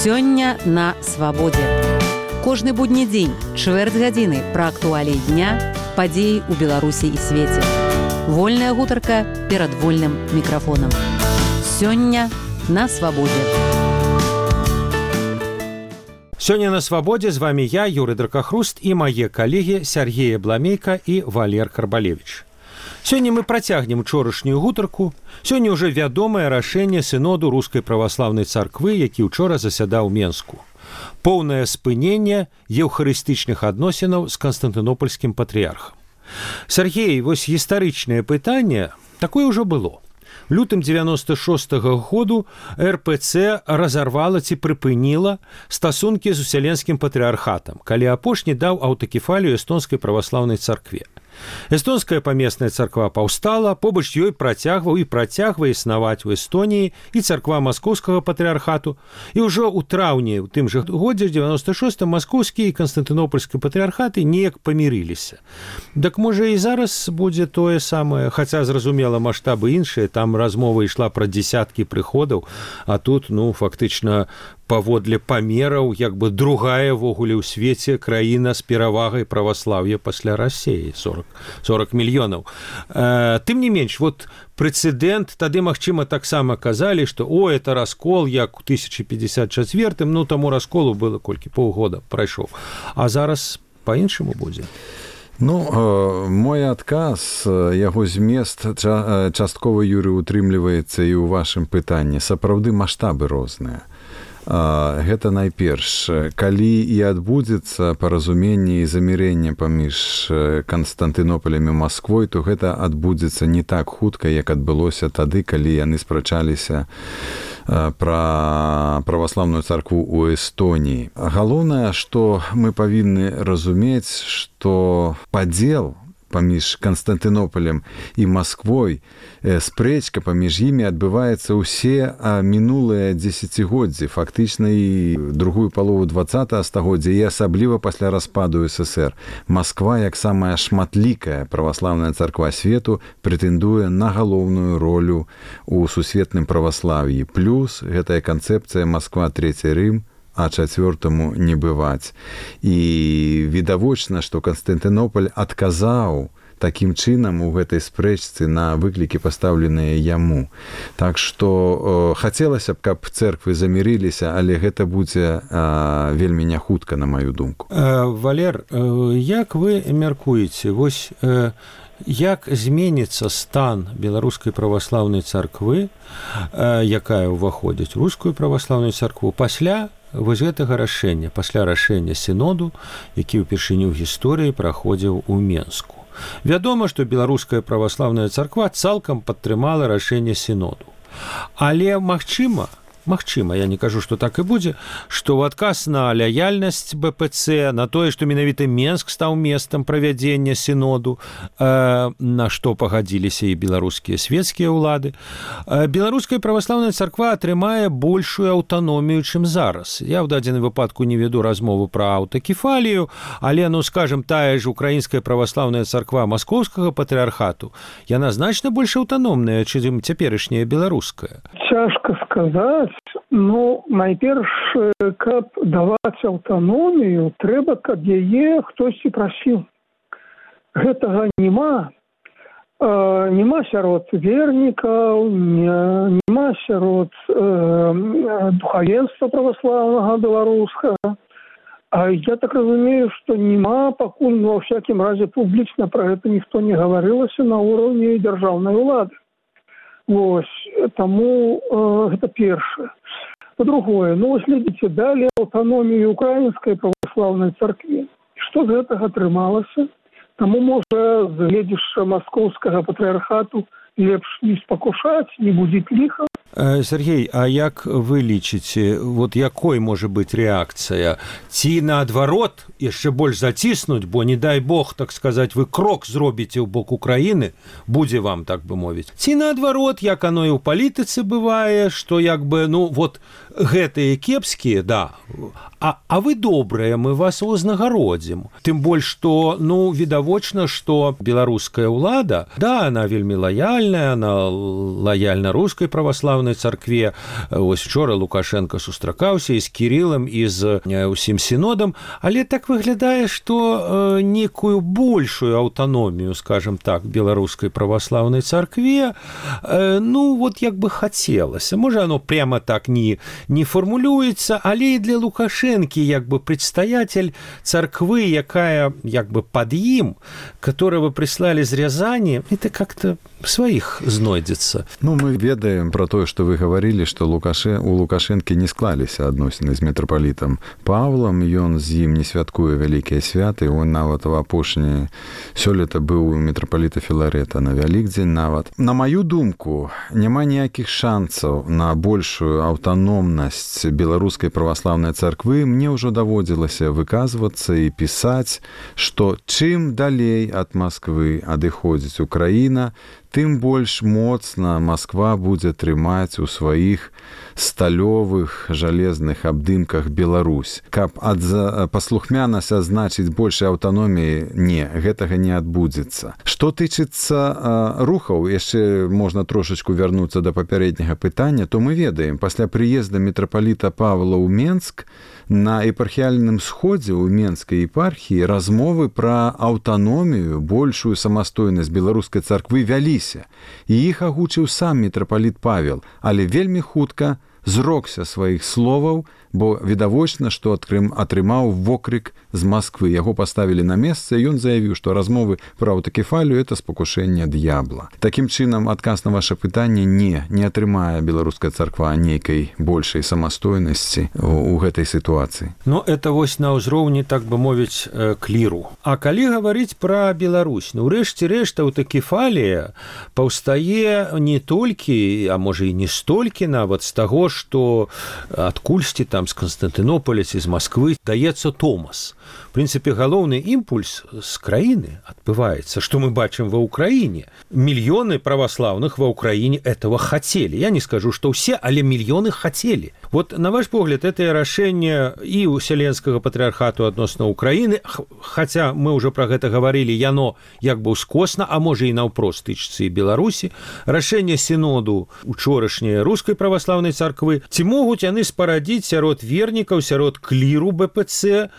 Сёння на свабодзе. Кожны будні дзень, чвэрць гадзіны пра актуаліі дня, падзеі ў Беларусі і свеце. Вольная гутарка перад вольным мікрафонам. Сёння на свабодзе. Сёння на свабодзе з вами я, Юрый Дракахруст, і мае калегі Сергей Бламейка і Валер Карбалевич. Сёння мы працягнем учорашнюю гутарку. Сёння ўжо вядомае рашэнне сыноду Рускай праваслаўнай царквы, які ўчора засядаў у Менску. Поўнае спыненне еўхарыстычных адносінаў з канстантынопольскім патрыярхам. Сергей, вось гістарычнае пытанне, такое ўжо было. Лютым 96-го году РПЦ разарвала ці прыпыніла стасункі з Уселенскім патрыархатам, калі апошні даў аўтакефалію эстонскай праваслаўнай царкве. Эстонская памесная царква паўстала, побач ёй працягваў і працягвае існаваць у Эстоніі і царква маскоўскага патрыархату. І ўжо ў траўні ў тым жа годзе 96-м маскоўскі і канстантынопольскі патрыархаты неяк памірыліся. Дак можа і зараз будзе тое самае, хаця зразумела маштабы іншыя, там размова ішла пра дзесяткі прыходаў, а тут фактычна паводле памераў, як бы другая вогуле ў свеце краіна з перавагай праваслаўя пасля Расіі, 40 мільёнаў. Тым не менш, вот прэцэдэнт, тады, магчыма, таксама казалі, што это раскол, як у 1054-м, таму расколу было колькі паўгода прайшоў. А зараз па-іншаму будзе. Мой адказ, яго змест часткова, Юрый, утрымліваецца і ў вашым пытанні. Сапраўды маштабы розныя. Гэта найперш, калі і адбудзецца паразуменне і замірэнне паміж Канстантынополем і Масквой, то гэта адбудзецца не так хутка, як адбылося тады, калі яны спрачаліся пра праваслаўную царкву ў Эстоніі. Галоўнае, што мы павінны разумець, што падзел паміж Канстантынополем і Масквой, спрэчка паміж імі адбываецца ўсе мінулыя дзесяцігоддзі, фактычна і другую палову 20-го стагоддзя, і асабліва пасля распаду СССР. Масква, як самая шматлікая праваслаўная царква свету, прэтэндуе на галоўную ролю ў сусветным праваслаўі. Плюс гэтая канцэпцыя Масква, Трэці Рым, а чацвёртаму не бываць. І відавочна, што Канстантынополь адказаў такім чынам у гэтай спрэчцы на выклікі, пастаўленыя яму. Так што хацелася б, каб цэрквы замірыліся, але гэта будзе вельмі няхутка, на маю думку. Валер, як вы мяркуеце, вось як зменіцца стан беларускай праваслаўнай царквы, якая ўваходзіць у рускую праваслаўную царкву, пасля вось гэтага рашэння, пасля рашэння сіноду, які ўпершыню ў гісторыі праходзіў у Менску. Вядома, што беларуская праваслаўная царква цалкам падтрымала рашэнне сіноду. Але магчыма, я не кажу, што так і будзе, што ў адказ на лаяльнасць БПЦ, на тое, што менавіта Менск стаў месцам правядзення сіноду, на што пагадзіліся і беларускія свецкія ўлады, беларуская праваслаўная царква атрымае большую аўтаномію, чым зараз. Я ў дадзеным выпадку не веду размову пра аўтакефалію, але, скажам, тая ж украінская праваслаўная царква маскоўскага патрыархату, яна значна больш аўтаномная, чым цяперашняя беларуская. Цяжка сказаць. Найперш, каб даваць аўтаномію, трэба, каб яе хтосьці прасіў. Гэтага няма. Няма сярод вернікаў, няма сярод духавенства праваслаўнага беларускага. Я так разумею, што няма, пакуль, ва ўсякім разе, публічна пра гэта ніхто не гаварылася на ўроўні дзяржаўнай улады. Вось, таму гэта першае. Па-другое, глядзіце, далі аўтаномію украінскай праваслаўнай царкве. Што з гэтага атрымалася? Таму, можа, з гледзішча маскоўскага патрыархату лепш не спакушаць, не будзіць ліха. Сергей, а як вы лічыце, якой можа быць рэакцыя? Ці наадварот яшчэ больш заціснуць, бо, не дай Бог, так сказаць, вы крок зробіце ў бок Украіны, будзе вам, так бы мовіць. Ці наадварот, як оно і ў палітыцы бывае, што гэтыя кепскія, а вы добрыя, мы вас узнагародзім. Тым больш, што, відавочна, што беларуская ўлада, да, она вельмі лаяльная, она лаяльна рускай праваслаўнай царкве. Вось вчора Лукашенко сустракаўся і з Кірылам, і з усім сінодам, але так выглядае, што некую большую аўтаномію, скажем так, беларускай праваслаўнай царкве, як бы хацелася. Можа, оно прямо так не формулюецца, але і для Лукашэнкі як бы прадстаятель царквы, якая як бы пад ім, которого прислали з Рязани, это как-то своих знойдзецца. Мы ведаем про тое, што вы гаварылі, што у Лукашэнкі не склаліся адносіны з мітрапалітам Павлам, ён з ім не святкуе вялікія святы, он нават у апошні сёлета быў у мітрапаліта Філарэта на Вялікдзень нават. На маю думку, няма ніякіх шансаў на большую аўтаномнасць беларускай праваслаўнай царквы. Мне ўжо даводзілася выказвацца і пісаць, што чым далей ад Масквы адыходзіць Украіна, тым больш моцна Масква будзе трымаць у сваіх сталёвых жалезных абдымках Беларусь. Каб паслухмянасць азначыць большай аўтаноміі, не, гэтага не адбудзецца. Што тычыцца рухаў, яшчэ можна трошачку вярнуцца да папярэдняга пытання, то мы ведаем, пасля прыезда мітрапаліта Павла ў Менск на епархіяльным сходзе ў Менскай епархіі размовы пра аўтаномію, большую самастойнасць беларускай царквы вяліся. І іх агучыў сам мітрапаліт Павел, але вельмі хутка зрокся сваіх словаў, бо відавочна, што атрымаў вокрык з Масквы. Яго паставілі на месца, і ён заявіў, што размовы пра аўтакефалію – это спакушэнне д'ябла. Такім чынам, адказ на ваше пытанне не атрымае беларуская царква нейкай большай самастойнасці у гэтай сітуацыі. Это вось на ўзроўні, так бы мовіць, кліру. А калі гаварыць пра Беларусь, ўрэшце рэшт аўтакефалія паўстае не толькі, а можа і не столькі нават з таго, што адкульсьці там з Константинополя ці з Москвы даецца Томас. В прынцыпе, галоўны імпульс з краіны адбываецца, што мы бачым ва Ўкраіне. Мільёны праваслаўных ва Ўкраіне этого хотели. Я не скажу, што ўсе, але мільёны хотели. Вот, на ваш погляд, это рашэнне і Уселенскага патрыархату адносна Украіны, хаця мы ўжо пра гэта гаварылі, яно як бы ўскосна, а можа і наўпрост тычыцца і Беларусі. Рашэнне сіноду учорашняй рускай праваслаўнай царквы. Ці могуць яны спарадзіць сярод вернікаў, сярод кліру БПЦ,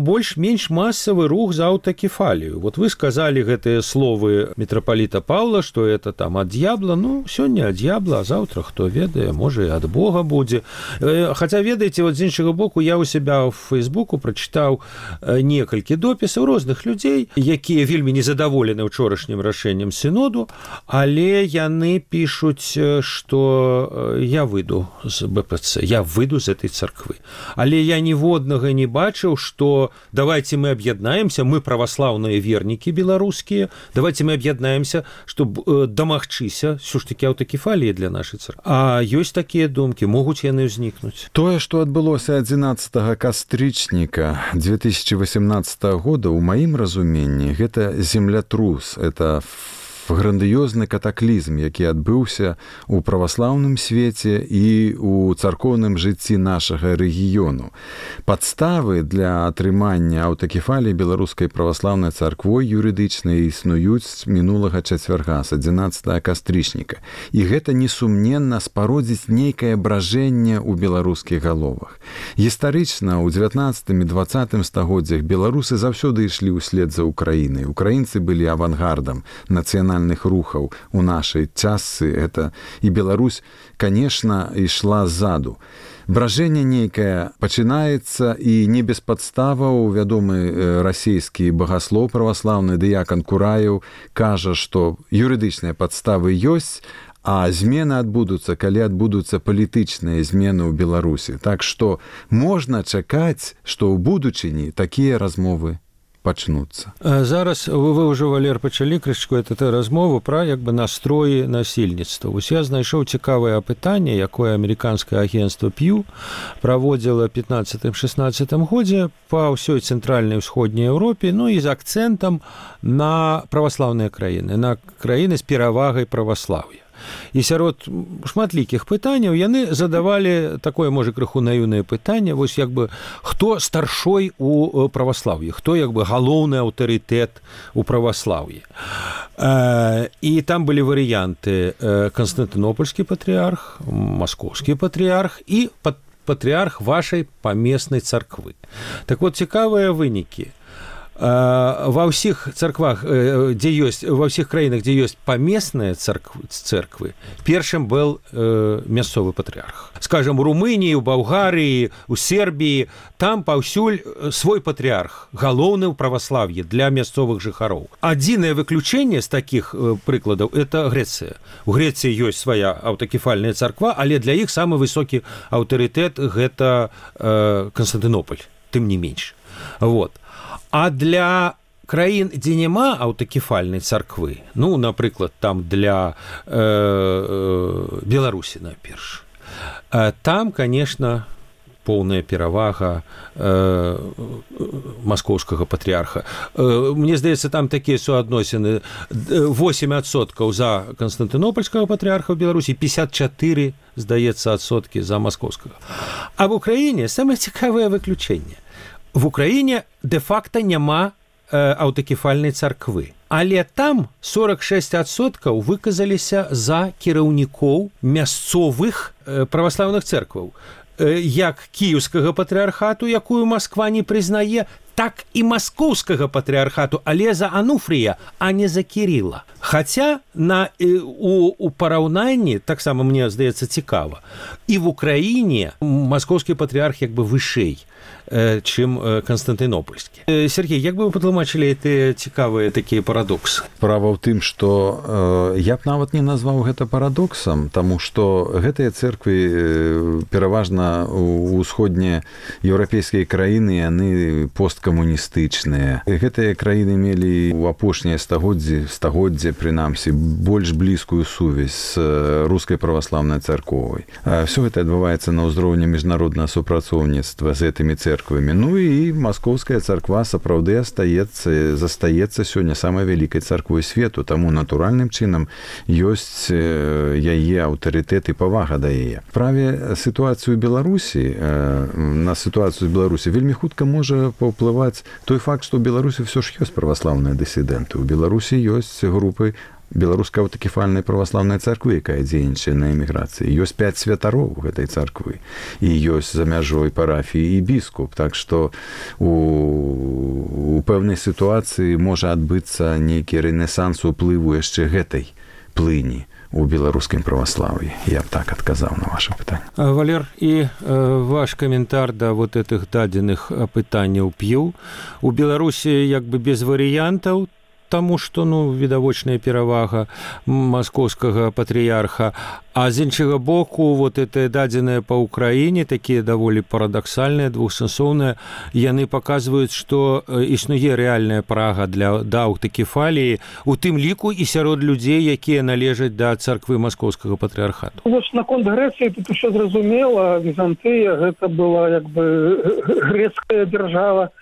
больш-менш масавы рух за аўтакефалію. Вот вы сказалі гэтыя словы мітрапаліта Павла, што это там ад д'ябла. Сёння ад д'ябла, а заўтра, хто ведае, можа і ад Бога будзе. Хаця, ведаеце, вот з іншага боку, я ў себя ў Фейсбуку прачытаў некалькі допісаў розных людзей, якія вельмі незадаволены ўчорашнім рашэннем сіноду, але яны пішуць, што я выйду з БПЦ, я выйду з этой царквы. Але я ніводнага не бачыў, што давайте мы аб'яднаемся, мы праваслаўныя вернікі беларускія, давайте мы аб'яднаемся, чтобы дамагчыся ўсё ж такі аўтакефаліі для нашай царквы. А ёсць такія думкі, могуць яны ўзнікнуць. Тое, што адбылося 11 кастрычніка 2018 года, у маім разуменні, гэта землятрус, это грандыёзны катаклізм, які адбыўся у праваслаўным свеце і у царкоўным жыцці нашага рэгіёну. Падставы для атрымання аўтакефаліі беларускай праваслаўнай царквой юрыдычнай існуюць мінулага чацвярга з 11 кастрычніка. І гэта несумненна спародзіць нейкае бражэнне ў беларускіх галовах. Гістарычна ў 19 і 20 стагоддзях беларусы заўсёды ішлі ўслед за Украінай. Украінцы былі авангардам нацыянальных рухаў у нашай частцы, это і Беларусь, конечно, ішла ззаду. Бражэнне нейкае пачынаецца, і не без падставаў вядомы расійскі багаслоў праваслаўны дыякан Кураеў кажа, што юрыдычныя падставы ёсць, а змены адбудуцца, калі адбудуцца палітычныя змены ў Беларусі. Так што можна чакаць, што ў будучыні такія размовы пачнуцца. Зараз вы ўжо, Валер, пачалі крышку размову пра як бы настроі насельніцтва. Вось я знайшоў цікавае апытанне, якое амерыканскае агенцтва Pew праводзіла 15-16 годзе па ўсёй цэнтральнай усходняй Еўропе, і з акцэнтам на праваслаўныя краіны, на краіны з перавагай праваслаўя. І сярод шматлікіх пытанняў яны задавалі такое, можа, крыху наіўнае пытанне, вось як бы хто старшой у праваслаўі, хто як бы галоўны аўтарытэт у праваслаўі. І там былі варыянты: Канстантынопольскі патрыарх, Маскоўскі патрыарх і патрыарх вашай памеснай царквы. Так вот, цікавыя вынікі. Ва ўсіх царквах, дзе ёсць, ва ўсіх краінах, дзе ёсць памесныя церквы, першым был мясцовы патрыарх. Скажем, у Румыніі, у Балгарыі, у Сербіі, там паўсюль свой патрыарх, галоўны ў праваслаўі для мясцовых жыхароў. Адзінае выключэнне з такіх прыкладаў – это Грэцыя. У Грэцыі ёсць свая аўтакефальная царква, але для іх самы высокі аўтарытэт – гэта Канстантынополь, тым не менш. Вот. А для краін, дзе няма аўтакефальнай царквы, ну, напрыклад, там для Беларусі, найперш, там, конечно, поўная перавага маскоўскага патрыарха. Мне здаецца, там такія суадносіны: 8% за канстантынопольскага патрыарха ў Беларусі, 54, здаецца, адсоткі за маскоўскага. А в Украіне самае цікавае выключэнне. В Украіне де-факта няма аўтакефальнай царквы. Але там 46% выказаліся за кіраўнікоў мясцовых праваслаўных церкваў. Як кіеўскага патрыархату, якую Масква не прызнае, так і маскоўскага патрыархату, але за Ануфрія, а не за Кірыла. Хаця у параўнанні, таксама мне здаецца цікава, і в Украіне маскоўскі патрыарх як бы вышэй, чым Канстантынопольскі. Сергей, як бы вы патлумачылі гэтыя цікавыя такія парадоксы? Справа ў тым, што я б нават не назваў гэта парадоксам, таму што гэтыя церквы пераважна ў усходнія еўрапейскія краіны, яны посткамуністычныя. Гэтыя краіны мелі ў апошнія стагоддзе, прынамсі, больш блізкую сувязь з рускай праваслаўнай царковай. Всё гэта адбываецца на ўзроўні міжнароднага супрацоўніцтва з гэтымі церквамі. Ну і маскоўская царква сапраўды застаецца сёння самай вялікай царквой свету, таму натуральным чынам ёсць яе аўтарытэт і павага да яе. Праве сітуацыю Беларусі, на сітуацыю з Беларусі вельмі хутка можа паўплываць той факт, што ў Беларусі ўсё ж ёсць праваслаўныя дысідэнты. У Беларусі ёсць групы беларускай аўтакефальнай праваслаўнай царквы, якая дзейнічае на эміграцыі. Ёсць 5 святароў гэтай царквы. І ёсць за мяжой парафіі і біскуп. Так што у пэўнай сітуацыі можа адбыцца нейкі рэнесанс уплыву яшчэ гэтай плыні у беларускім праваслаўі. Я б так адказаў на ваше пытанне. Валер, і ваш каментар да вот этих дадзеных пытанняў п'ю. У Беларусі як бы без варыянтаў, таму што, ну, відавочная перавага маскоўскага патрыярха, а з іншага боку, вот это дадзеныя па Украіне, такія даволі парадаксальныя, двухсэнсоўныя, яны паказваюць, што існуе рэальная прага да аўтакефаліі, у тым ліку і сярод людзей, якія належаць да царквы маскоўскага патрыярхату. Вось наконт Грэцыі тут усё зразумела. Візантыя гэта была як бы грэцкая дзяржава.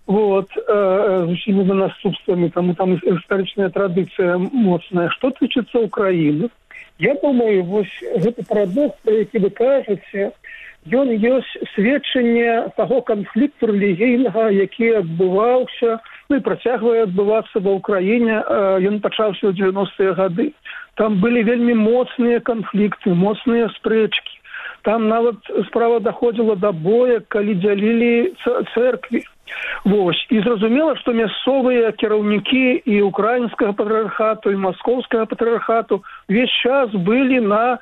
Вот, з усімі наступствамі, таму там гістарычная традыцыя моцная. Што тычыцца Украіны, я думаю, вось гэты парадокс, про які вы кажаце, ён ёсць сведчанне таго канфлікту рэлігійнага, які адбываўся, ну і працягвае адбывацца ва Ўкраіне. Ён пачаўся ў 90-е гады. Там былі вельмі моцныя канфлікты, моцныя спрэчкі. Там нават справа даходзіла да боя, калі дзялілі церкві. Вось. І зразумела, што мясцовыя кіраўнікі і украінскага патрыархату, і маскоўскага патрыархату увесь час былі на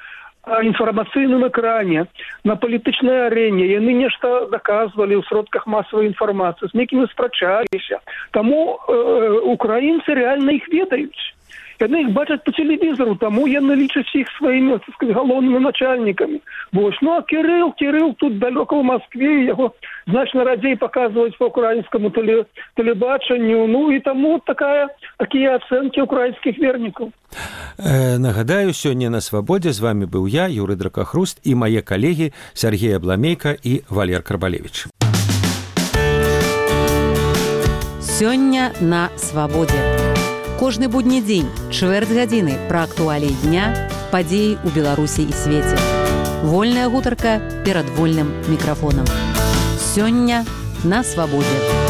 інфармацыйным экране, на палітычнай арэне. Яны нешта даказвалі ў сродках масавай інфармацыі, з некімі спрачаліся. Таму украінцы рэальна іх ведаюць. Яны іх бачаць по тэлевізору, таму яны лічаць іх сваімі, так сказать, галоўнымі начальнікамі. Вось. Ну, а Кірыл тут далёка ў Маскве, яго значна радзей паказваюць па украінскаму тэлебачанню. Ну, і таму такія ацэнкі украінскіх вернікаў. Нагадаю, сёння на Свабодзе з вами быў я, Юрый Дракахруст, і мае калегі Сергей Абламейка і Валер Карбалевич. Сёння на Свабодзе. Кожны будні дзень, чвэрць гадзіны пра актуаліі дня, падзеі ў Беларусі і свеце. Вольная гутарка перад вольным мікрафонам. Сёння на свабодзе.